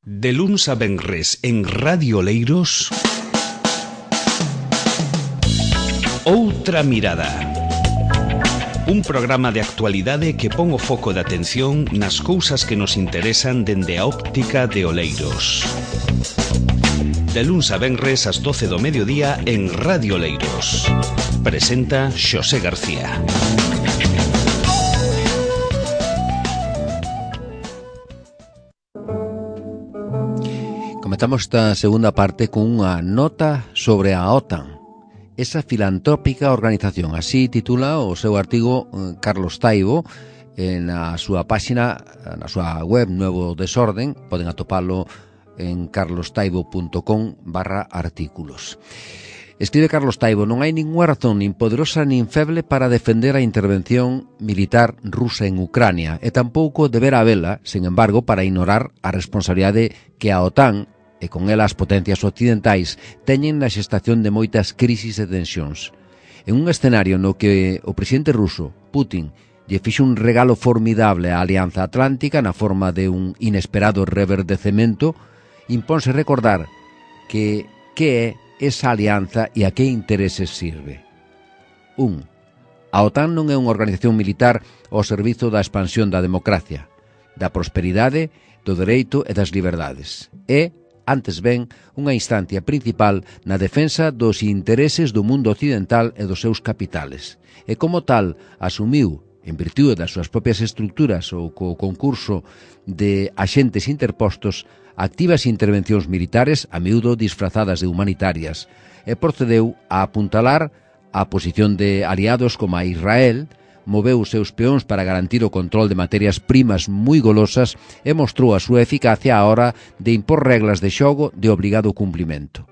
De luns a venres en Radio Oleiros, Outra Mirada. Un programa de actualidade que pon o foco de atención nas cousas que nos interesan dende a óptica de Oleiros. De luns a venres ás 12 do mediodía en Radio Oleiros. Presenta Xosé García. Comenzamos esta segunda parte con unha nota sobre a OTAN, esa filantrópica organización. Así titula o seu artigo Carlos Taibo na súa páxina, na súa web Nuevo Desorden. Poden atopalo en carlostaibo.com/artículos. Escribe Carlos Taibo: non hai ninguna razón nin poderosa nin feble para defender a intervención militar rusa en Ucrania, e tampouco deberá habela, sen embargo, para ignorar a responsabilidade que a OTAN e con ela as potencias occidentais teñen na xestación de moitas crisis e tensións. En un escenario no que o presidente ruso, Putin, lle fixo un regalo formidable á Alianza Atlántica na forma de un inesperado reverdecemento, impónse recordar que é esa alianza e a que intereses sirve. 1. A OTAN non é unha organización militar ao servizo da expansión da democracia, da prosperidade, do dereito e das liberdades. É, antes ben, unha instancia principal na defensa dos intereses do mundo occidental e dos seus capitales. E como tal, asumiu, en virtude das súas propias estructuras ou co concurso de axentes interpostos, activas intervencións militares, a miúdo disfrazadas de humanitarias, e procedeu a apuntalar a posición de aliados como a Israel, moveu os seus peóns para garantir o control de materias primas moi golosas e mostrou a súa eficacia á hora de impor reglas de xogo de obrigado cumplimento.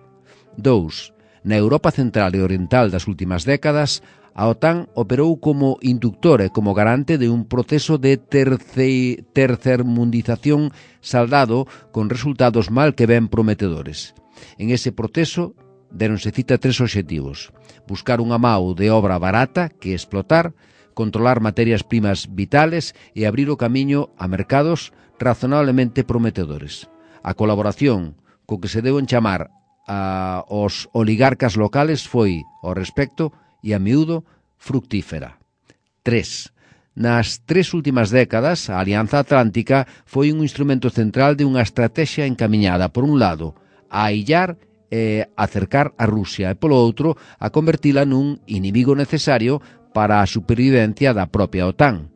2. Na Europa central e oriental das últimas décadas, a OTAN operou como inductor e como garante de un proceso de tercermundización saldado con resultados mal que ben prometedores. En ese proceso deronse cita 3 obxectivos: buscar unha mao de obra barata que explotar, controlar materias primas vitales e abrir o camiño a mercados razonablemente prometedores. A colaboración co que se deu en chamar aos oligarcas locales foi, ao respecto, e a miúdo, fructífera. 3. Nas 3 últimas décadas, a Alianza Atlántica foi un instrumento central de unha estrategia encamiñada, por un lado, a aillar e acercar a Rusia, e polo outro, a convertila nun inimigo necesario para a supervivencia da propia OTAN.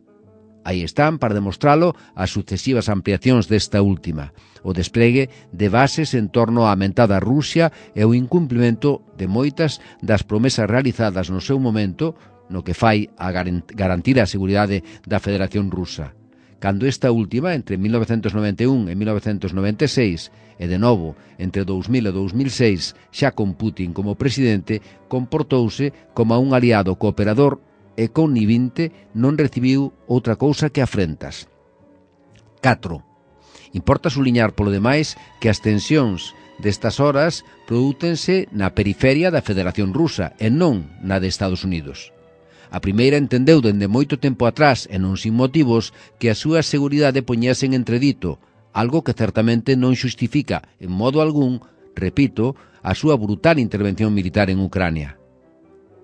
Aí están, para demostralo, as sucesivas ampliacións desta última, o despregue de bases en torno á mentada Rusia e o incumplimento de moitas das promesas realizadas no seu momento, no que fai a garantir a seguridade da Federación Rusa. Cando esta última, entre 1991 e 1996, e de novo entre 2000 e 2006, xa con Putin como presidente, comportouse como un aliado cooperador e connivinte, non recibiu outra cousa que afrentas. 4. Importa suliñar polo demais que as tensións destas horas prodúcense na periferia da Federación Rusa e non na de Estados Unidos. A primeira entendeu dende moito tempo atrás, e non sin motivos, que a súa seguridade poñese en entredito, algo que certamente non xustifica, en modo algún, repito, a súa brutal intervención militar en Ucrania.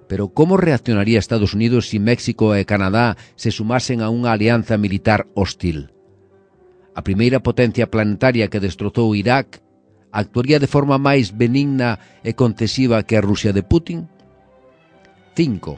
Pero como reaccionaría Estados Unidos se México e Canadá se sumasen a unha alianza militar hostil? A primeira potencia planetaria que destrozou Irak actuaría de forma máis benigna e concesiva que a Rusia de Putin? 5.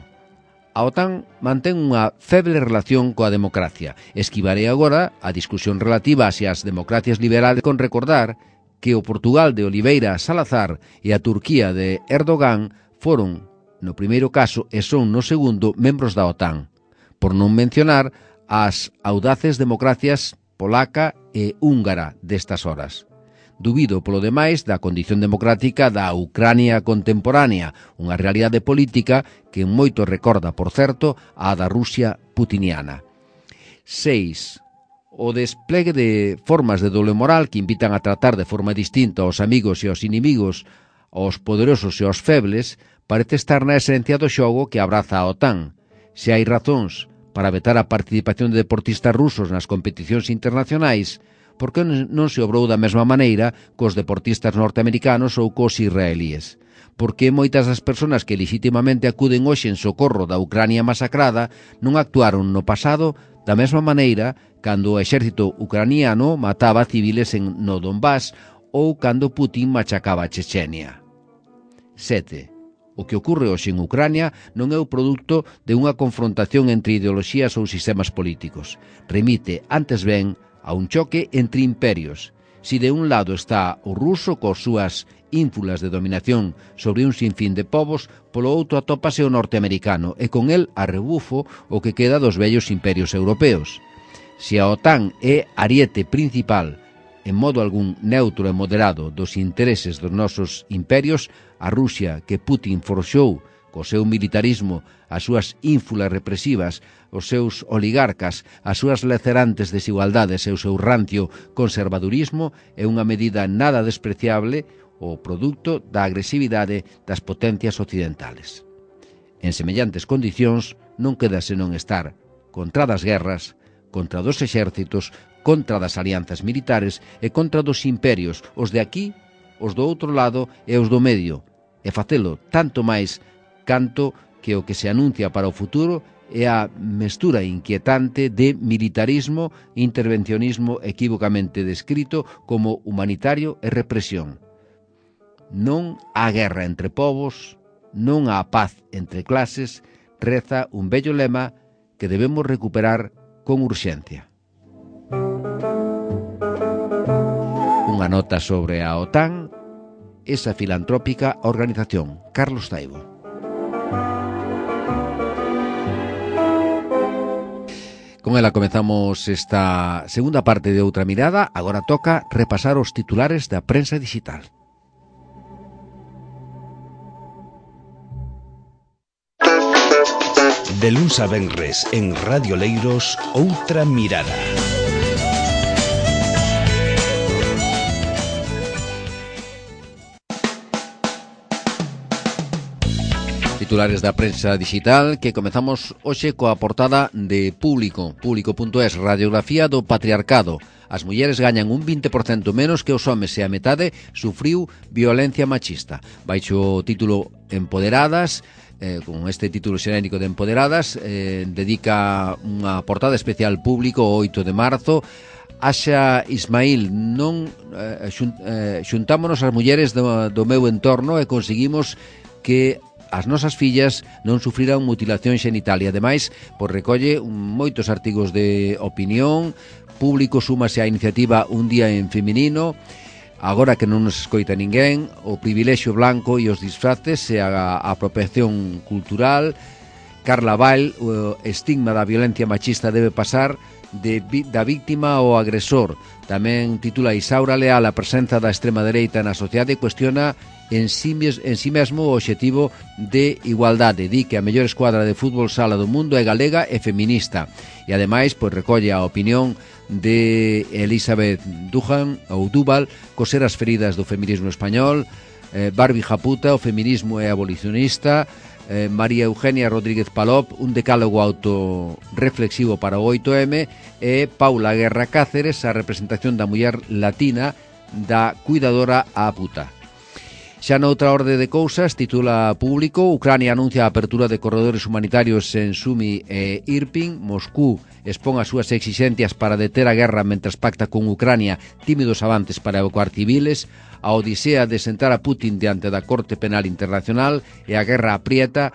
A OTAN mantén unha feble relación coa democracia. Esquivarei agora a discusión relativa hacia as democracias liberales con recordar que o Portugal de Oliveira Salazar e a Turquía de Erdogan foron, no primeiro caso, e son no segundo, membros da OTAN, por non mencionar as audaces democracias polaca e húngara destas horas. Dubido, polo demais, da condición democrática da Ucrania contemporánea, unha realidade política que moito recorda, por certo, a da Rusia putiniana. 6. O desplegue de formas de doble moral que invitan a tratar de forma distinta aos amigos e aos inimigos, aos poderosos e aos febles, parece estar na esencia do xogo que abraza a OTAN. Se hai razóns para vetar a participación de deportistas rusos nas competicións internacionais, por que non se obrou da mesma maneira cos deportistas norteamericanos ou cos israelíes? Por que moitas das persoas que legitimamente acuden hoxe en socorro da Ucrania masacrada non actuaron no pasado da mesma maneira cando o exército ucraniano mataba civiles no Donbass ou cando Putin machacaba a Chechenia? 7. O que ocorre hoxe en Ucrania non é o produto de unha confrontación entre ideoloxías ou sistemas políticos. Remite, antes ben, a un choque entre imperios. Si de un lado está o ruso cos súas ínfulas de dominación sobre un sinfín de povos, polo outro atópase o norteamericano e con el a rebufo o que queda dos vellos imperios europeos. Se a OTAN é ariete principal, en modo algún neutro e moderado dos intereses dos nosos imperios, a Rusia que Putin forxou co seu militarismo, as súas ínfulas represivas, os seus oligarcas, as súas lacerantes desigualdades e o seu rancio conservadurismo é unha medida nada despreciable o produto da agresividade das potencias occidentales. En semellantes condicións non queda senón estar contra das guerras, contra dos exércitos, contra das alianzas militares e contra dos imperios, os de aquí, os do outro lado e os do medio, e facelo tanto máis canto que o que se anuncia para o futuro é a mestura inquietante de militarismo e intervencionismo equívocamente descrito como humanitario e represión. Non há guerra entre povos, non há paz entre clases, reza un bello lema que debemos recuperar con urxencia. Unha nota sobre a OTAN, esa filantrópica organización. Carlos Taibo. Con ela comezamos esta segunda parte de Outra Mirada. Agora toca repasar os titulares da prensa digital. De luns a venres en Radio Leiros, Outra Mirada. Titulares da prensa digital que comezamos hoxe coa portada de Público. Público.es, radiografía do patriarcado. As mulleres gañan un 20% menos que os homes e a metade sufriu violencia machista. Baixo o título Empoderadas, con este título xenérico de Empoderadas, dedica unha portada especial Público o 8 de marzo. Axa Ismail, non xuntámonos as mulleres do meu entorno e conseguimos que as nosas fillas non sufriran mutilación xenital e ademais recolle moitos artigos de opinión. Público súmase á iniciativa Un día en feminino. Agora que non nos escoita ninguén, o privilexio blanco e os disfraces e a apropiación cultural. Carla Vall, o estigma da violencia machista debe pasar da víctima ao agresor. Tamén titula Isaura Leal a presenza da extrema dereita na sociedade e cuestiona en sí mesmo o obxectivo de igualdade. Di que a mellor escuadra de fútbol sala do mundo é galega e feminista. E ademais recolle a opinión de Elizabeth Duval, coser as feridas do feminismo español. Barbie Japuta, o feminismo é abolicionista. María Eugenia Rodríguez Palop, un decálogo autorreflexivo para o 8M. E Paula Guerra Cáceres, a representación da muller latina da cuidadora á puta. Xa noutra orde de cousas, titula Público, Ucrania anuncia a apertura de corredores humanitarios en Sumi e Irpin. Moscú expón as súas exixencias para deter a guerra mentras pacta con Ucrania tímidos avances para evacuar civiles. A odisea de sentar a Putin diante da Corte Penal Internacional e a guerra apreta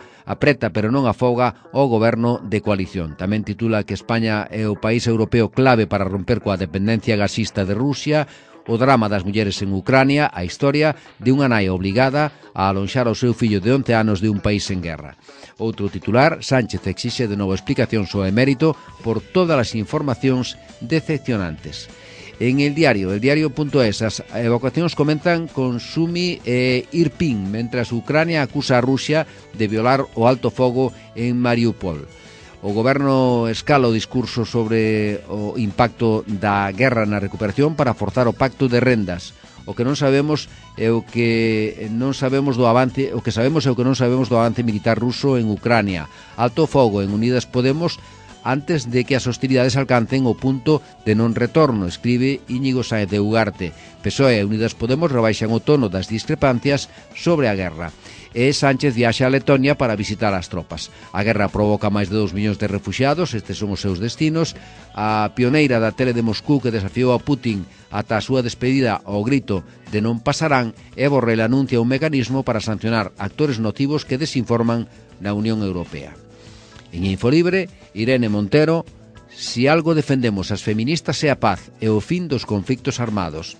pero non afoga o goberno de coalición. Tamén titula que España é o país europeo clave para romper coa dependencia gasista de Rusia. O drama das mulleres en Ucrania, a historia de unha nai obligada a alonxar ao seu fillo de 11 anos de un país en guerra. Outro titular, Sánchez exixe de novo explicacións ao emérito por todas as informacións decepcionantes. En el diario.es, as evacuacións comenzan con Sumi e Irpin, mentras Ucrania acusa a Rusia de violar o alto fogo en Mariupol. O goberno escala o discurso sobre o impacto da guerra na recuperación para forzar o pacto de rendas. O que non sabemos é o que non sabemos do avance, o que sabemos é o que non sabemos do avance militar ruso en Ucrania. Alto fogo en Unidas Podemos antes de que as hostilidades alcancen o punto de non retorno, escribe Íñigo Sáenz de Ugarte. PSOE e Unidas Podemos rebaixan o tono das discrepancias sobre a guerra. E Sánchez viaxa a Letonia para visitar as tropas. A guerra provoca máis de 2 millóns de refuxiados, estes son os seus destinos. A pioneira da tele de Moscú que desafiou a Putin ata a súa despedida ao grito de non pasarán, e Borrell anuncia un mecanismo para sancionar actores nocivos que desinforman na Unión Europea. En Infolibre, Irene Montero: si algo defendemos as feministas é a paz e o fin dos conflictos armados.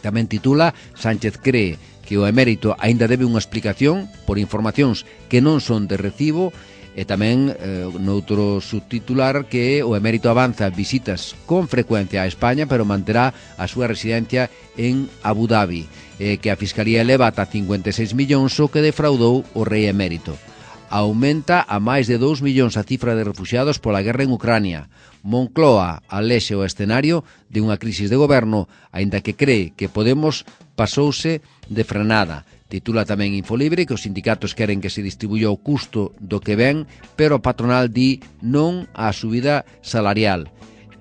Tamén titula: Sánchez cree que o emérito aínda debe unha explicación por informacións que non son de recibo, e tamén noutro subtitular que o emérito avanza visitas con frecuencia a España, pero manterá a súa residencia en Abu Dhabi, que a Fiscalía eleva ata 56 millóns o que defraudou o rei emérito. Aumenta a máis de 2 millóns a cifra de refuxiados pola guerra en Ucrania. Moncloa alexe o escenario de unha crisis de goberno, aínda que cree que Podemos pasouse de frenada. Titula tamén Infolibre que os sindicatos queren que se distribuya o custo do que ven, pero a patronal di non á subida salarial.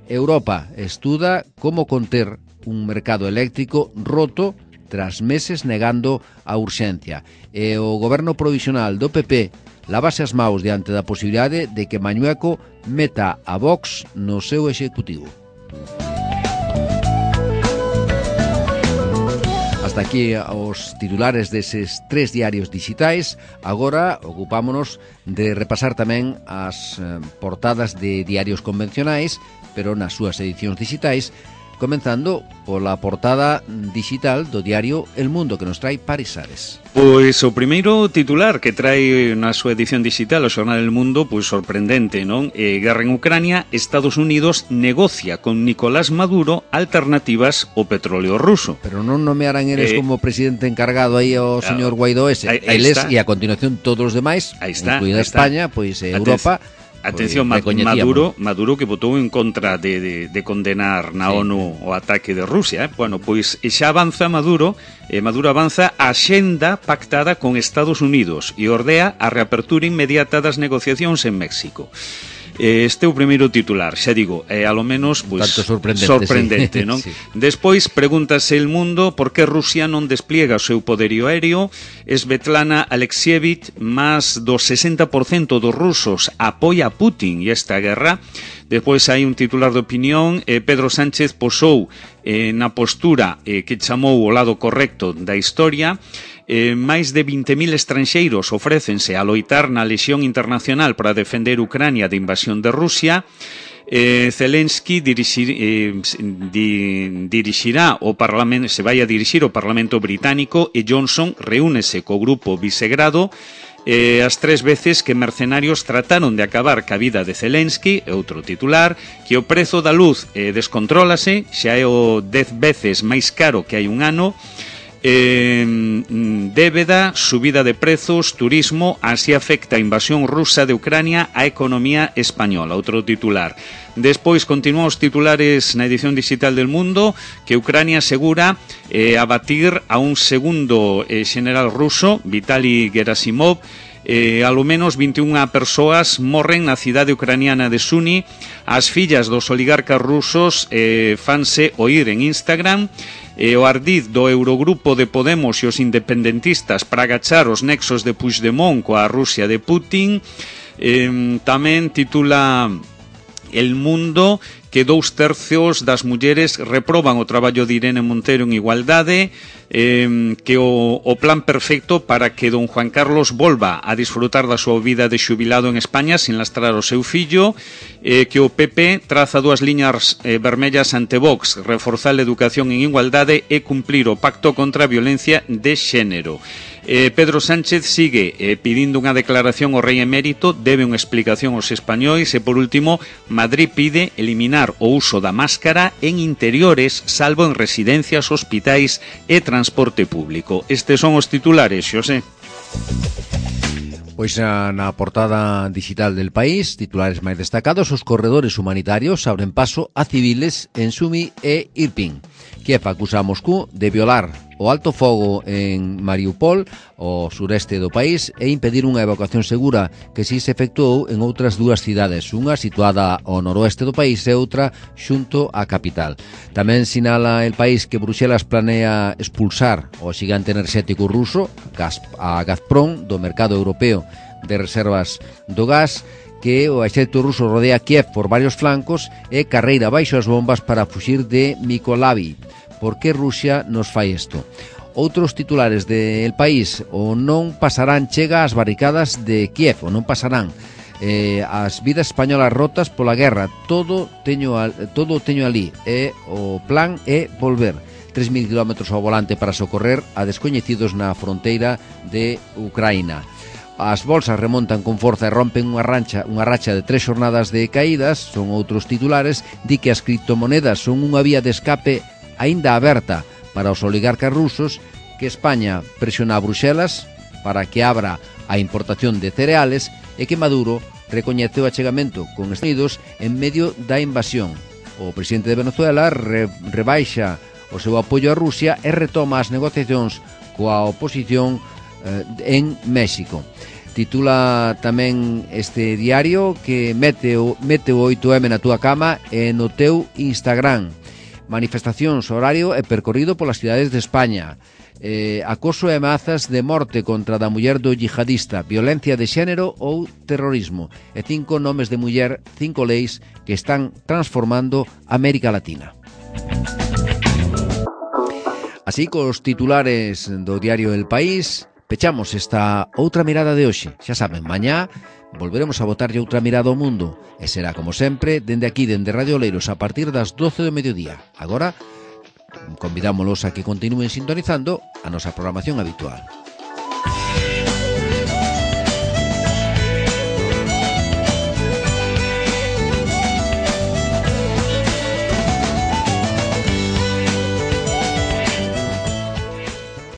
Europa estuda como conter un mercado eléctrico roto tras meses negando a urxencia. E o goberno provisional do PP lávase as maus diante da posibilidade de que Mañueco meta a Vox no seu executivo. Hasta aquí os titulares deses 3 diarios digitais. Agora ocupámonos de repasar tamén as portadas de diarios convencionais, pero nas súas edicións digitais, comenzando pola portada digital do diario El Mundo, que nos trae Paris Ares. Pois o primeiro titular que trae na súa edición digital o xornal El Mundo, pois sorprendente, non? Guerra en Ucrania, Estados Unidos negocia con Nicolás Maduro alternativas ao petróleo ruso. Pero non nomearán eles como presidente encargado aí o señor Guaidó ese. Eles, e a continuación todos os demais, incluída España, pois Europa. Atención, Maduro que votou en contra de condenar na ONU o ataque de Rusia. Bueno, pois xa avanza Maduro avanza a xenda pactada con Estados Unidos e ordea a reapertura inmediata das negociacións en México. Este é o primeiro titular, xa digo, alo menos pois, sorprendente, non? Sí. Despois, pregúntase El Mundo por que Rusia non despliega o seu poderío aéreo. Svetlana Alexievich, máis do 60% dos rusos apoia a Putin e esta guerra. Despois hai un titular de opinión, Pedro Sánchez posou na postura que chamou o lado correcto da historia. Máis de 20.000 estranxeiros ofrécense a loitar na lexión internacional para defender Ucrania de invasión de Rusia. Zelensky dirixirá o Parlamento, se vai a dirixir o Parlamento británico, e Johnson reúnese co grupo Visegrado. As 3 veces que mercenarios trataron de acabar ca vida de Zelensky, outro titular, que o prezo da luz descontrólase, xa é o 10 veces máis caro que hai un ano. Débeda, subida de prezos, turismo, así afecta a invasión rusa de Ucrania á economía española, outro titular. Despois continúan os titulares na edición digital del Mundo, que Ucrania asegura abatir a un segundo general ruso, Vitaly Gerasimov. Alo menos 21 persoas morren na cidade ucraniana de Suni. As fillas dos oligarcas rusos fanse oír en Instagram. O ardid do Eurogrupo de Podemos e os independentistas para agachar os nexos de Puigdemont coa Rusia de Putin. Tamén titula El Mundo que 2/3 das mulleres reproban o traballo de Irene Montero en igualdade, que o plan perfecto para que don Juan Carlos volva a disfrutar da súa vida de xubilado en España sin lastrar o seu fillo, que o PP traza 2 liñas vermellas ante Vox, reforzar a educación en igualdade e cumplir o pacto contra a violencia de xénero. Pedro Sánchez sigue pidindo unha declaración ao rei emérito, debe unha explicación aos españois e, por último, Madrid pide eliminar o uso da máscara en interiores, salvo en residencias, hospitais e transporte público. Estes son os titulares, Xosé. Pois na portada digital del País, titulares máis destacados: os corredores humanitarios abren paso a civiles en Sumi e Irpin. Kiev acusa a Moscú de violar o alto fogo en Mariupol, o sureste do país, e impedir unha evacuación segura que si se efectuou en outras dúas cidades, unha situada ao noroeste do país e outra xunto á capital. Tamén sinala el país que Bruxelas planea expulsar o xigante enerxético ruso, a Gazprom, do mercado europeo de reservas do gas, que o exército ruso rodea Kiev por varios flancos e carreira baixo as bombas para fuxir de Mykolaiv. Por que Rusia nos fai isto? Outros titulares del país: o non pasarán chega ás barricadas de Kiev, o non pasarán. As vidas españolas rotas pola guerra, todo teño ali, e o plan é volver. 3.000 km ao volante para socorrer a descoñecidos na fronteira de Ucraína. As bolsas remontan con forza e rompen unha racha de 3 xornadas de caídas. Son outros titulares. Di que as criptomonedas son unha vía de escape aínda aberta para os oligarcas rusos, que España presiona a Bruxelas para que abra a importación de cereales e que Maduro recoñece o achegamento con Estados Unidos en medio da invasión. O presidente de Venezuela rebaixa o seu apoio a Rusia e retoma as negociacións coa oposición en México. Titula tamén este diario que mete o 8M na túa cama e no teu Instagram. Manifestacións, horario e percorrido polas cidades de España. Acoso e ameazas de morte contra da muller do yihadista, violencia de xénero ou terrorismo. E 5 nomes de muller, 5 leis que están transformando América Latina. Así, cos titulares do diario El País, pechamos esta outra mirada de hoxe. Xa saben, mañá volveremos a botarlle outra mirada ao mundo, e será, como sempre, dende aquí, dende Radio Oleiros, a partir das 12 do mediodía. Agora, convidámolos a que continúen sintonizando a nosa programación habitual.